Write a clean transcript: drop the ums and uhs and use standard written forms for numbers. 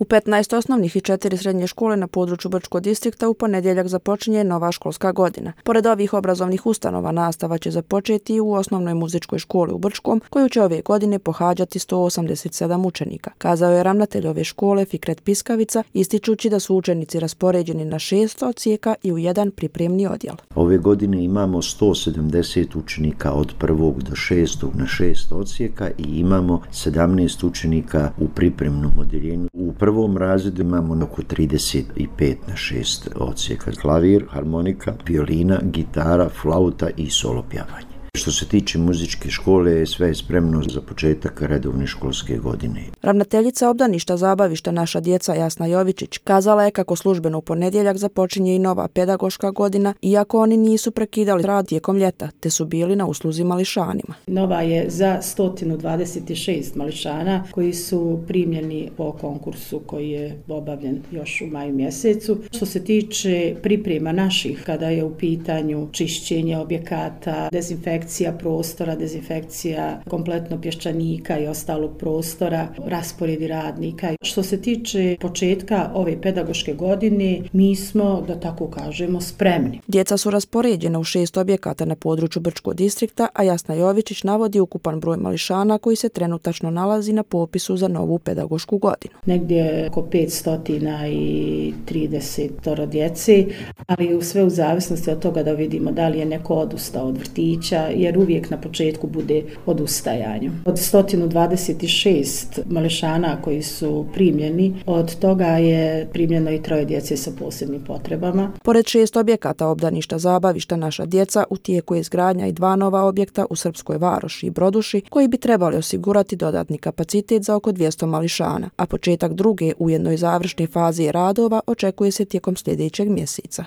U 15 osnovnih i 4 srednje škole na području Brčkog distrikta u ponedjeljak započinje nova školska godina. Pored ovih obrazovnih ustanova, nastava će započeti i u osnovnoj muzičkoj školi u Brčkom, koju će ove godine pohađati 187 učenika, kazao je ravnatelj ove škole Fikret Piskavica, ističući da su učenici raspoređeni na 6 odsjeka i u jedan pripremni odjel. Ove godine imamo 170 učenika od 1. do 6. na 6 odsjeka i imamo 17 učenika u pripremnom odjeljenju. U prvom razredu imamo oko 35 na 6 odsjeka. Klavir, harmonika, violina, gitara, flauta i solo pjevanje. Što se tiče muzičke škole, sve je spremno za početak redovne školske godine. Ravnateljica obdaništa zabavišta Naša djeca Jasna Jovičić kazala je kako službeno u ponedjeljak započinje i nova pedagoška godina, iako oni nisu prekidali rad tijekom ljeta, te su bili na usluzi mališanima. Nova je za 126 mališana koji su primljeni po konkursu koji je obavljen još u maju mjesecu. Što se tiče priprema naših, kada je u pitanju čišćenje objekata, dezinfekcija prostora, dezinfekcija kompletno pješčanika i ostalog prostora, rasporedi radnika. Što se tiče početka ove pedagoške godine, mi smo, da tako kažemo, spremni. Djeca su raspoređena u 6 objekata na području Brčkog distrikta, a Jasna Jovičić navodi ukupan broj mališana koji se trenutačno nalazi na popisu za novu pedagošku godinu. Negdje oko 530 djece, ali sve u zavisnosti od toga da vidimo da li je neko odustao od vrtića, jer uvijek na početku bude odustajanje. Od 126 mališana koji su primljeni, od toga je primljeno i 3 djece sa posebnim potrebama. Pored 6 objekata obdaništa zabavišta Naša djeca, u tijeku je izgradnja i 2 nova objekta u Srpskoj Varoši i Broduši, koji bi trebali osigurati dodatni kapacitet za oko 200 mališana, a početak druge, ujedno i završne faze radova očekuje se tijekom sljedećeg mjeseca.